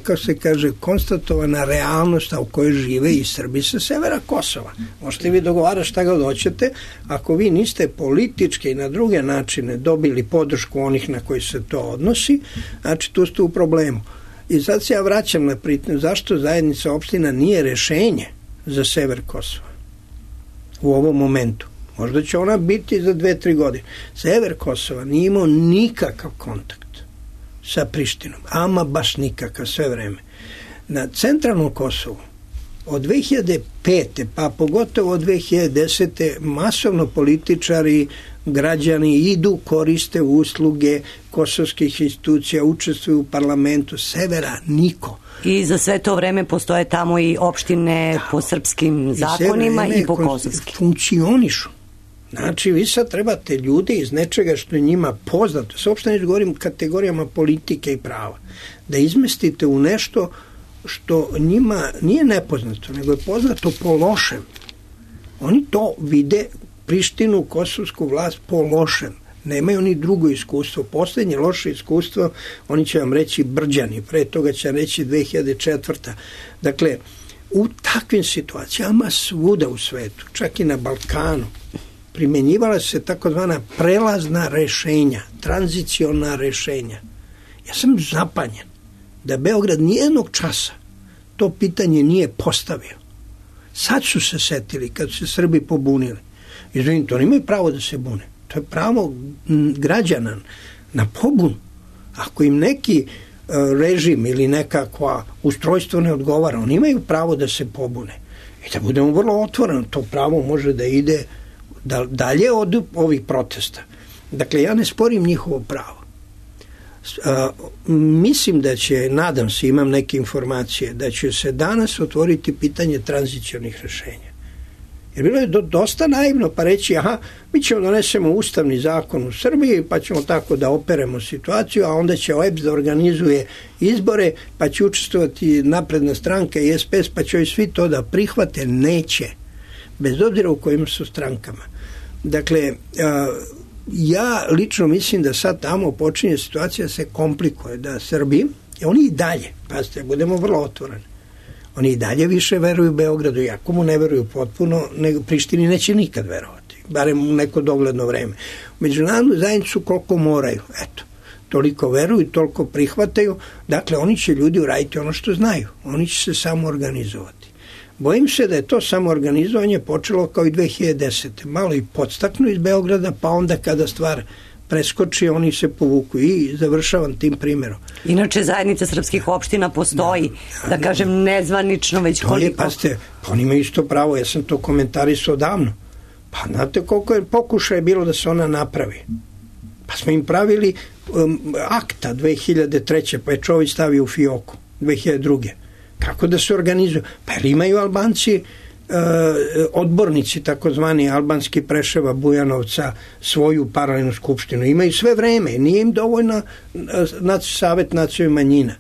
kako se kaže, konstatovana realnost u kojoj žive i Srbi sa severa Kosova. Možete vi dogovarati šta god hoćete, ako vi niste politički i na druge načine dobili podršku onih na koji se to odnosi, znači tu ste u problemu. I sad se ja vraćam na pitanje zašto zajednica opština nije rešenje za sever Kosova u ovom momentu. Možda će ona biti za dve, tri godine. Sever Kosova nije imao nikakav kontakt sa Prištinom, ama baš nikakav sve vreme. Na centralnom Kosovu od dve hiljade pete pa pogotovo od dve hiljade desete masovno političari, građani idu, koriste usluge kosovskih institucija, učestvuju u parlamentu. Severa niko. I za sve to vreme postoje tamo i opštine da, po srpskim zakonima i, i po kosovskim. Funkcionišu. Znači, vi sad trebate ljude iz nečega što je njima poznato, se uopšte ne govorim kategorijama politike i prava, da izmestite u nešto što njima nije nepoznato, nego je poznato po lošem. Oni to vide, Prištinu, kosovsku vlast po lošem. Nemaju ni drugo iskustvo. Poslednje loše iskustvo, oni će vam reći Brđani, pre toga će vam reći dve hiljade četvrta. Dakle, u takvim situacijama svuda u svetu, čak i na Balkanu, primenjivala se takozvana prelazna rešenja, tranziciona rešenja. Ja sam zapanjen da Beograd nijednog časa to pitanje nije postavio. Sad su se setili kad su se Srbi pobunili. Izvinite, oni imaju pravo da se bune. To je pravo građana na pobun. Ako im neki režim ili nekakva ustrojstvo ne odgovara, oni imaju pravo da se pobune. I da budemo vrlo otvoreni, to pravo može da ide dalje od ovih protesta. Dakle, ja ne sporim njihovo pravo. A, mislim da će, nadam se, imam neke informacije, da će se danas otvoriti pitanje tranzicionih rešenja. Jer bilo je do, dosta naivno pa reći, aha, mi ćemo donesemo ustavni zakon u Srbiji, pa ćemo tako da operemo situaciju, a onda će O E B S da organizuje izbore, pa će učestvovati Napredna stranka i S P S, pa će ovi svi to da prihvate. Neće. Bez obzira u kojim su strankama. Dakle, a, ja lično mislim da sad tamo počinje situacija se komplikuje, da Srbi, oni i dalje, pazite, budemo vrlo otvoreni, Oni i dalje više veruju Beogradu, iako mu ne veruju potpuno, nego Prištini neće nikad verovati, barem u neko dogledno vreme. U međunarodnu zajednicu koliko moraju, eto, toliko veruju, toliko prihvataju, dakle oni će ljudi uraditi ono što znaju, oni će se samo organizovati. Bojim se da je to samoorganizovanje počelo kao i dve hiljade desete. Malo i podstaknu iz Beograda, pa onda kada stvar preskoči, oni se povuku i završavam tim primjerom. Inače, zajednica srpskih opština postoji, da, da, da kažem, nezvanično već to koliko... Je, pa ste, pa oni imaju isto pravo, ja sam to komentarisao davno. Pa znate koliko je pokušaje bilo da se ona napravi. Pa smo im pravili um, akta dve hiljade treće, pa je čovjek stavio u fioku dve hiljade druge. Kako da se organizuju? Pa jer imaju Albanci e, odbornici, takozvani albanski Preševa, Bujanovca, svoju paralelnu skupštinu. Imaju sve vreme. Nije im dovoljno nac, Savet nacionalnih manjina.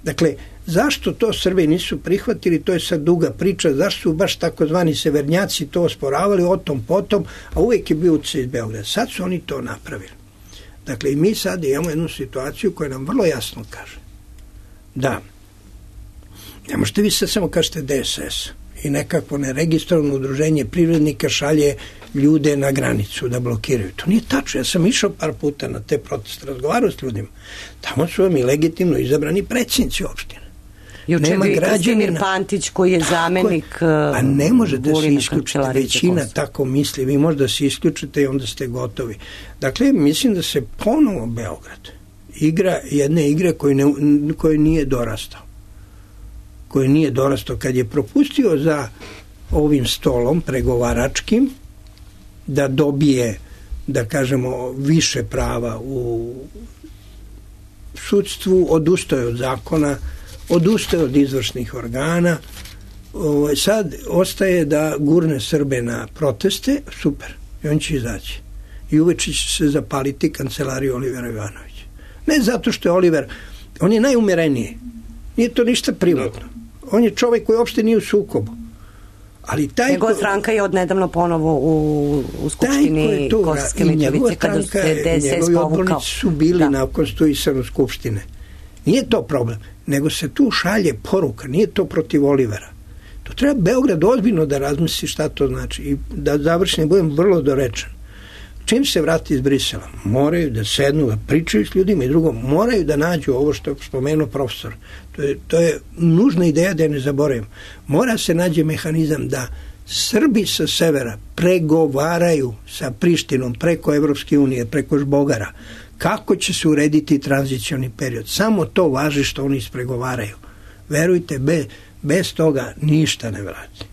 Dakle, zašto to Srbi nisu prihvatili, to je sad duga priča, zašto su baš takozvani severnjaci to osporavali o tom potom, a uvijek je bio utjecaj iz Beograda. Sad su oni to napravili. Dakle, i mi sad imamo jednu situaciju koja nam vrlo jasno kaže da ne možete vi sad samo kažete D S S i nekako neregistrovano udruženje privrednika šalje ljude na granicu da blokiraju. To nije tačno. Ja sam išao par puta na te proteste, razgovarao s ljudima. Tamo su vam i legitimno izabrani predsjednici opštine. Juče bi Krastimir Pantić koji je zamenik a ne možete se isključiti. Većina tako misli. Vi možda se isključite i onda ste gotovi. Dakle, mislim da se ponovo Beograd igra jedne igre koje, ne, koje nije dorastao. Koje nije dorastao. Kad je propustio za ovim stolom pregovaračkim da dobije, da kažemo, više prava u sudstvu, odustaje od zakona, odustaje od izvršnih organa, sad ostaje da gurne Srbe na proteste, super, i on će izaći. I uveče će se zapaliti kancelariju Olivera Ivanovića. Ne zato što je Oliver, on je najumereniji, nije to ništa privatno. On je čovjek koji uopšte nije u sukobu. Ali taj njegova ko... stranka je odnedavno ponovo u, u skupštini Kosovske Mitrovice kada se D S S povukao. Njegovi odbornici su bili da. na konstituisanju skupštine. Nije to problem, nego se tu šalje poruka, nije to protiv Olivera. To treba Beograd ozbiljno da razmisli šta to znači i da završim budem vrlo dorečan. Čim se vrati iz Brisela, moraju da sednu, da pričaju s ljudima i drugo, moraju da nađu ovo što je spomenuo profesor. To je, to je nužna ideja da je ne zaboravim. Mora se nađe mehanizam da Srbi sa severa pregovaraju sa Prištinom preko Evropske unije, preko Žbogara, kako će se urediti tranzicioni period. Samo to važi što oni ispregovaraju. Verujte, bez, bez toga ništa ne vrati.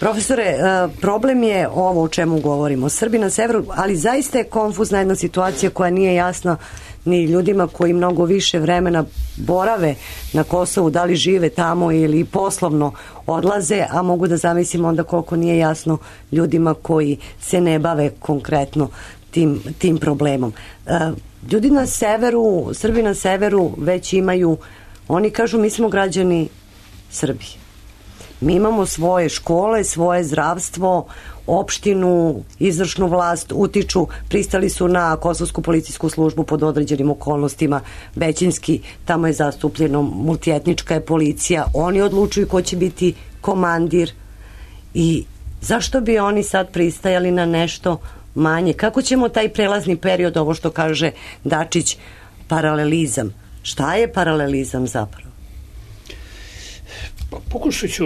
Profesore, problem je ovo o čemu govorimo. Srbi na severu, ali zaista je konfuzna jedna situacija koja nije jasna ni ljudima koji mnogo više vremena borave na Kosovu, da li žive tamo ili poslovno odlaze, a mogu da zamislim onda koliko nije jasno ljudima koji se ne bave konkretno tim, tim problemom. Ljudi na severu, Srbi na severu već imaju, oni kažu mi smo građani Srbije. Mi imamo svoje škole, svoje zdravstvo, opštinu, izvršnu vlast, utiču, pristali su na kosovsku policijsku službu pod određenim okolnostima, većinski, tamo je zastupljeno, multietnička je policija, oni odlučuju ko će biti komandir i zašto bi oni sad pristajali na nešto manje? Kako ćemo taj prelazni period, ovo što kaže Dačić, paralelizam? Šta je paralelizam zapravo? Pa pokušat ću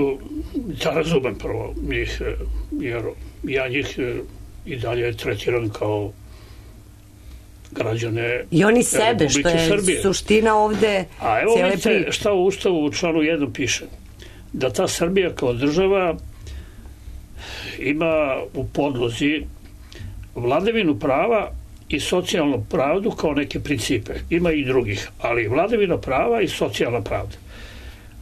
da razumem prvo njih, jer ja njih i dalje tretiram kao građane i oni sebe, Republike što je Srbije. Suština ovde a evo cijele vidite priče. Šta u Ustavu u članu jednom piše, da ta Srbija kao država ima u podlozi vladavinu prava i socijalnu pravdu kao neke principe. Ima i drugih, ali vladavina prava i socijalna pravda.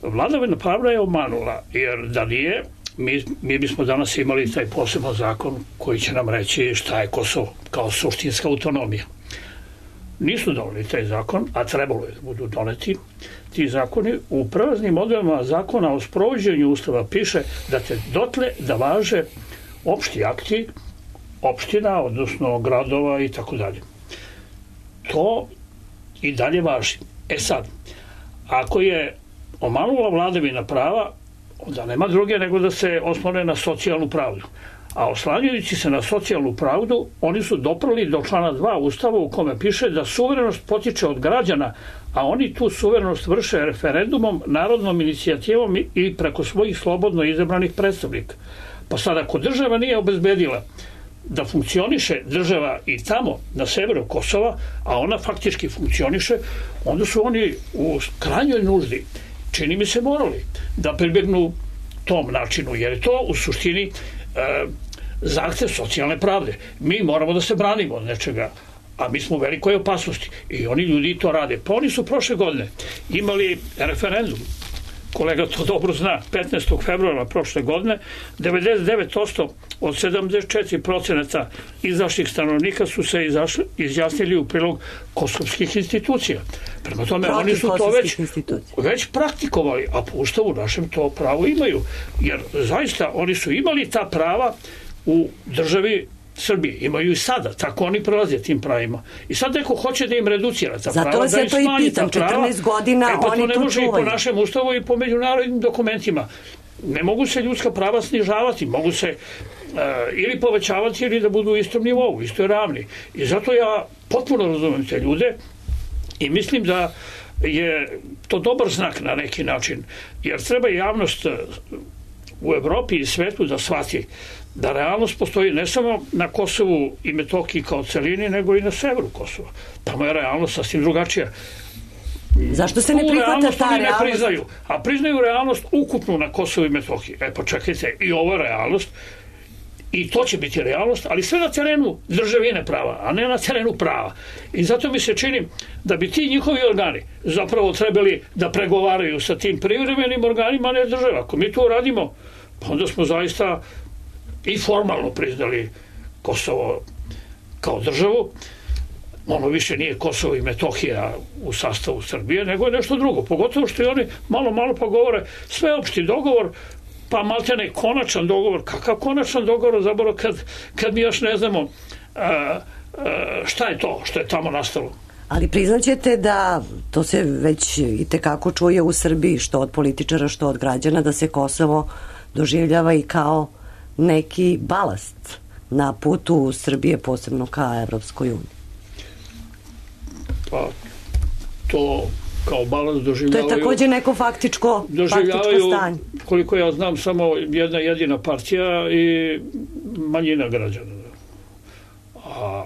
Vladavina prava je omanula, jer da nije, mi, mi bismo danas imali taj poseban zakon koji će nam reći šta je Kosovo kao suštinska autonomija. Nisu doneli taj zakon, a trebalo je da budu doneti ti zakoni. U prelaznim odredbama zakona o sprovođenju Ustava piše da te dotle da važe opšti akti opština, odnosno gradova i tako dalje. To i dalje važi. E sad, ako je omanula vladavina prava, onda nema druge nego da se oslone na socijalnu pravdu. A oslanjajući se na socijalnu pravdu, oni su doprli do člana dva Ustava u kome piše da suverenost potiče od građana, a oni tu suverenost vrše referendumom, narodnom inicijativom i preko svojih slobodno izabranih predstavnika. Pa sad, ako država nije obezbedila da funkcioniše država i tamo na severu Kosova, a ona faktički funkcioniše, onda su oni u krajnjoj nuždi, čini mi se, morali da pribegnu tom načinu, jer je to u suštini e, zahtev socijalne pravde. Mi moramo da se branimo od nečega, a mi smo u velikoj opasnosti i oni ljudi to rade. Pa oni su prošle godine imali referendum, kolega to dobro zna, petnaestog februara prošle godine, devedeset devet posto od sedamdeset četiri procenta izašlih stanovnika su se izašli, izjasnili u prilog kosovskih institucija. Prema tome, Protiv oni su to već, institucija. već praktikovali, a po Ustavu našem to pravo imaju. Jer zaista oni su imali ta prava u državi Srbije. Imaju i sada, tako oni prolaze tim pravima. I sad neko hoće da im reducira ta Zato prava, vas da ja im to i smanji pitam, ta prava. četrnaest godina e, pa oni to ne to može čuvaju. i po našem ustavu i po međunarodnim dokumentima. Ne mogu se ljudska prava snižavati, mogu se uh, ili povećavati ili da budu u istom nivou, isto je ravni. I zato ja potpuno razumem te ljude i mislim da je to dobar znak na neki način, jer treba javnost u Evropi i svetu da shvati da realnost postoji ne samo na Kosovu i Metohiji kao celini, nego i na severu Kosova. Tamo je realnost sasvim drugačija. Zašto se ne prihvata ta ne realnost? priznaju, a priznaju realnost ukupnu na Kosovu i Metohiji. E pa čekajte, i ovo je realnost, i to će biti realnost, ali sve na terenu državine prava, a ne na terenu prava. I zato mi se čini da bi ti njihovi organi zapravo trebali da pregovaraju sa tim privremenim organima, a ne država. Ako mi to radimo, pa onda smo zaista i formalno priznali Kosovo kao državu. Ono više nije Kosovo i Metohija u sastavu Srbije, nego je nešto drugo. Pogotovo što i oni malo, malo pa govore sveopšti dogovor, pa maltene konačan dogovor. Kakav konačan dogovor, zapravo, kad, kad mi još ne znamo a, a, šta je to što je tamo nastalo. Ali priznaćete da to se već i tekako čuje u Srbiji, što od političara, što od građana, da se Kosovo doživljava i kao neki balast na putu Srbije, posebno ka Evropskoj uniji. Pa to kao balans doživljavaju... To je takođe neko faktičko, faktičko stanje. Koliko ja znam, samo jedna jedina partija i manjina građana. A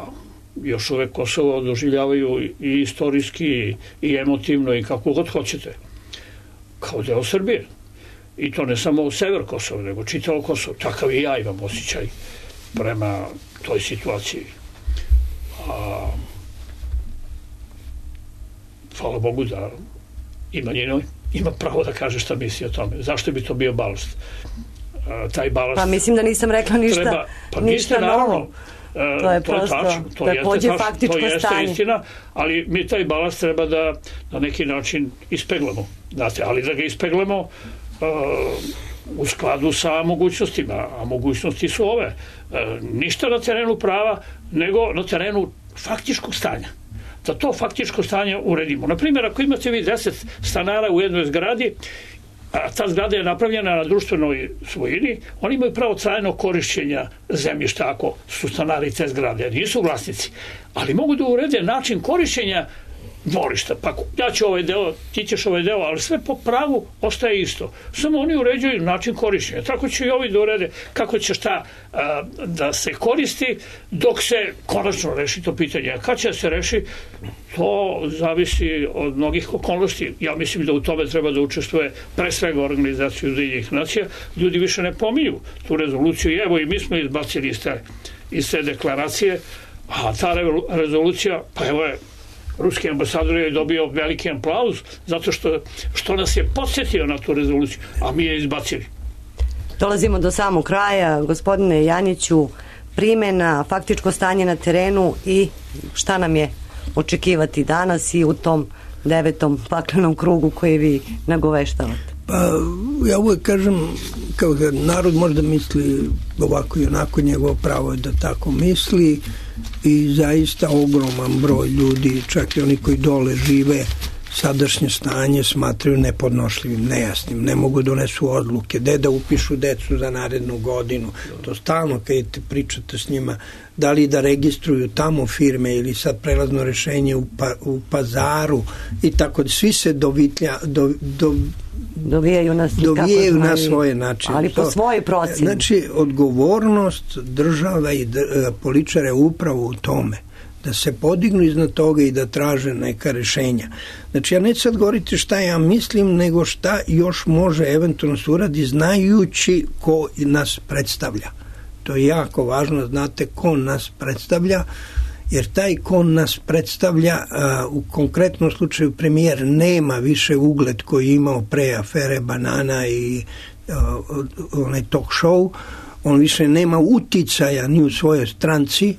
još uvek Kosovo doživljavaju i istorijski i emotivno i kako god hoćete. Kao deo Srbije. I to ne samo sever Kosova, nego čitavo Kosovo. Takav i ja imam osjećaj prema toj situaciji. A hvala Bogu da i manjina ima pravo da kaže šta misli o tome. Zašto bi to bio balast? A, taj balast... Pa mislim da nisam rekla ništa, treba, pa ništa novo. A, to je to prosto, je tačno, to takođe jeste faktičko to jeste stanje. Istina, ali mi taj balast treba da na neki način ispeglamo. Znate, ali da ga ispeglamo uh, u skladu sa mogućnostima, a mogućnosti su ove. Uh, ništa na terenu prava, nego na terenu faktičkog stanja. Da to faktičko stanje uredimo. Naprimjer, ako imate vi deset stanara u jednoj zgradi, a ta zgrada je napravljena na društvenoj svojini, oni imaju pravo trajnog korišćenja zemljišta ako su stanari te zgrade, nisu vlasnici, ali mogu da urede način korišćenja dvorišta. Pa ja ću ovaj deo, ti ćeš ovaj deo, ali sve po pravu ostaje isto. Samo oni uređuju način korišćenja. Tako će i ovi da urede kako će šta a, da se koristi dok se konačno reši to pitanje. A kad će se reši, to zavisi od mnogih okolnosti. Ja mislim da u tome treba da učestvuje pre svega Organizacija Ujedinjenih nacija. Ljudi više ne pominju tu rezoluciju i evo i mi smo izbacili iz te, iz te deklaracije, a ta rezolucija, pa evo je, ruski ambasador je dobio veliki aplauz zato što, što nas je podsjetio na tu rezoluciju, a mi je izbacili. Dolazimo do samog kraja. Gospodine Janjiću, primena, faktičko stanje na terenu i šta nam je očekivati danas i u tom devetom paklenom krugu koji vi nagoveštavate? Pa ja uvek kažem, kao da narod možda misli ovako i onako, njegovo pravo je da tako misli i zaista ogroman broj ljudi, čak i oni koji dole žive, sadašnje stanje smatraju nepodnošljivim, nejasnim, ne mogu donesu odluke, gde da upišu decu za narednu godinu. To stalno kad te pričate s njima, da li da registruju tamo firme ili sad prelazno rešenje u, pa, u Pazaru i tako da svi se dovitlja, do, do, dovijaju na, dovijaju na svoje načine. Ali po to, svoje procene. Znači, odgovornost država i dr, političara je upravo u tome da se podignu iznad toga i da traže neka rešenja. Znači, ja neću sad govoriti šta ja mislim, nego šta još može eventualno se uradi znajući ko nas predstavlja. To je jako važno, znate ko nas predstavlja, jer taj ko nas predstavlja, a, u konkretnom slučaju premijer nema više ugled koji je imao pre afere Banana i a, onaj talk show, on više nema uticaja ni u svojoj stranci,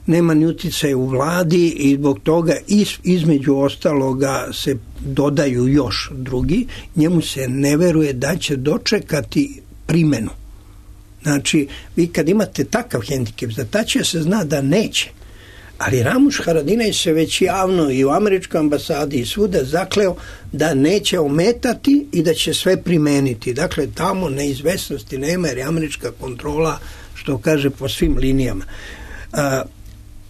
nema ni uticaja u vladi i zbog toga iz, između ostaloga se dodaju još drugi, njemu se ne veruje da će dočekati primenu. Znači, vi kad imate takav hendikep, za tačija se zna da neće. Ali Ramuš Haradinaj se već javno i u američkoj ambasadi i svuda zakleo da neće ometati i da će sve primeniti. Dakle, tamo neizvesnosti nema jer je američka kontrola, što kaže, po svim linijama. A,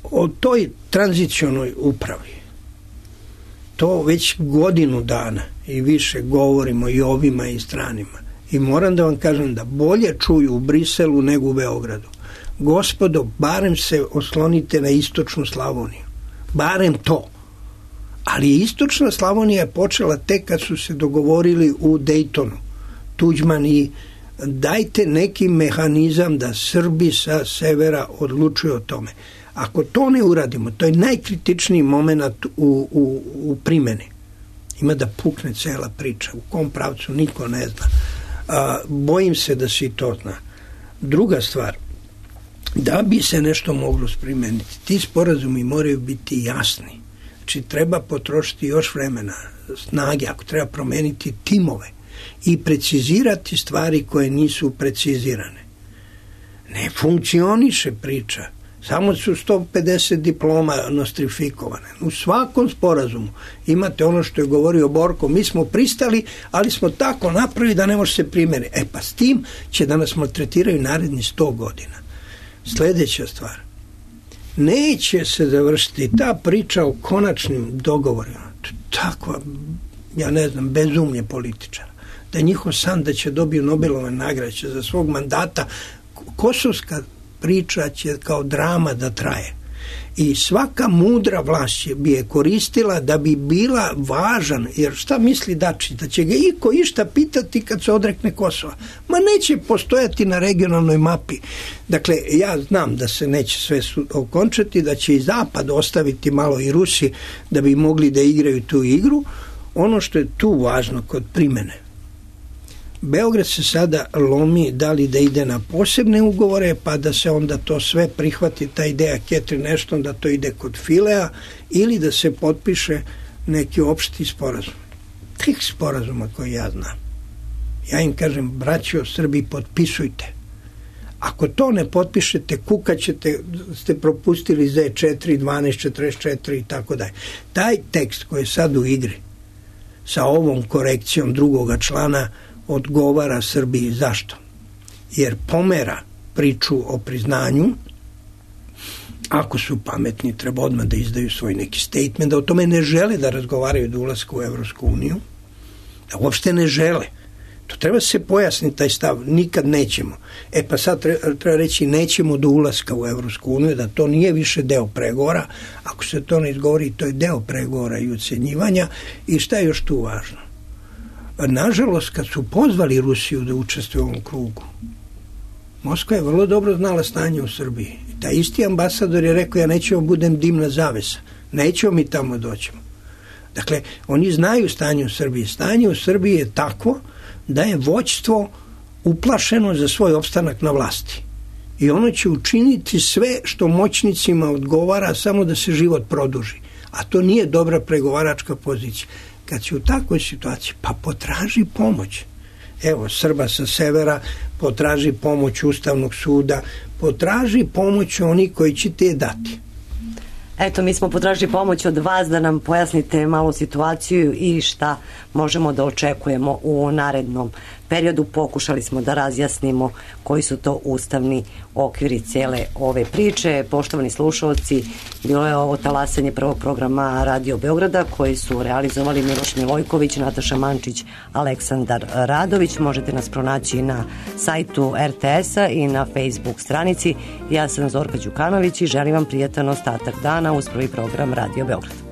o toj tranzicionoj upravi to već godinu dana i više govorimo i ovima i stranima. I moram da vam kažem da bolje čuju u Briselu nego u Beogradu. Gospodo, barem se oslonite na istočnu Slavoniju. Barem to. Ali istočna Slavonija je počela tek kad su se dogovorili u Dejtonu. Tuđman i dajte neki mehanizam da Srbi sa severa odlučuju o tome. Ako to ne uradimo, to je najkritičniji moment u, u, u primjeni. Ima da pukne cela priča. U kom pravcu niko ne zna. A, bojim se da se i to zna. Druga stvar, da bi se nešto moglo primeniti, ti sporazumi moraju biti jasni. Znači, treba potrošiti još vremena, snage, ako treba promeniti timove i precizirati stvari koje nisu precizirane. Ne funkcioniše priča. Samo su sto pedeset diploma nostrifikovane. U svakom sporazumu imate ono što je govorio Borko, mi smo pristali, ali smo tako napravili da ne može se primjeniti. E pa s tim će da nas maltretiraju naredni sto godina. Sljedeća stvar. Neće se završiti ta priča o konačnim dogovorima. Takva, ja ne znam, bezumlje političara. Da je njihov san da će dobiju Nobelove nagrade za svog mandata. Kosovska priča će kao drama da traje. I svaka mudra vlast bi je koristila da bi bila važan, jer šta misli Dačić, da će ga iko išta pitati kad se odrekne Kosova? Ma neće postojati na regionalnoj mapi. Dakle, ja znam da se neće sve okončati, da će i Zapad ostaviti malo i Rusi da bi mogli da igraju tu igru. Ono što je tu važno kod primene, Beograd se sada lomi da li da ide na posebne ugovore, pa da se onda to sve prihvati, ta ideja Catherine Ashton da to ide kod Filea, ili da se potpiše neki opšti sporazum. Tih sporazuma koje ja znam. Ja im kažem, braćo Srbi, potpisujte. Ako to ne potpišete, kukaćete, ste propustili Z četiri, dvanaest, četrdeset četiri i tako dalje. Taj tekst koji je sad u igri sa ovom korekcijom drugoga člana odgovara Srbiji. Zašto? Jer pomera priču o priznanju. Ako su pametni, treba odmah da izdaju svoj neki statement, da o tome ne žele da razgovaraju do ulaska u Evropsku uniju, da uopšte ne žele. To treba se pojasniti taj stav, nikad nećemo. E pa sad treba, treba reći nećemo do ulaska u Evropsku uniju, da to nije više deo pregovora. Ako se to ne izgovori, to je deo pregovora i ucenjivanja. I šta je još tu važno? Nažalost, kad su pozvali Rusiju da učestvuje u ovom krugu, Moskva je vrlo dobro znala stanje u Srbiji. I taj isti ambasador je rekao, ja nećemo budem dimna zavesa, nećemo mi tamo doćemo. Dakle, oni znaju stanje u Srbiji. Stanje u Srbiji je takvo da je vođstvo uplašeno za svoj opstanak na vlasti. I ono će učiniti sve što moćnicima odgovara samo da se život produži. A to nije dobra pregovaračka pozicija. Kad si u takvoj situaciji, pa potraži pomoć. Evo, Srba sa severa, potraži pomoć Ustavnog suda, potraži pomoć oni koji će te dati. Eto, mi smo potražili pomoć od vas da nam pojasnite malu situaciju i šta možemo da očekujemo u narednom periodu. Pokušali smo da razjasnimo koji su to ustavni okviri cijele ove priče. Poštovani slušalci, bilo je ovo talasanje prvog programa Radio Beograda koji su realizovali Miloš Milojković, Nataša Mančić, Aleksandar Radović. Možete nas pronaći na sajtu er te es-a i na Facebook stranici. Ja sam Zorka Đukanović i želim vam prijatan ostatak dana uz prvi program Radio Beograd.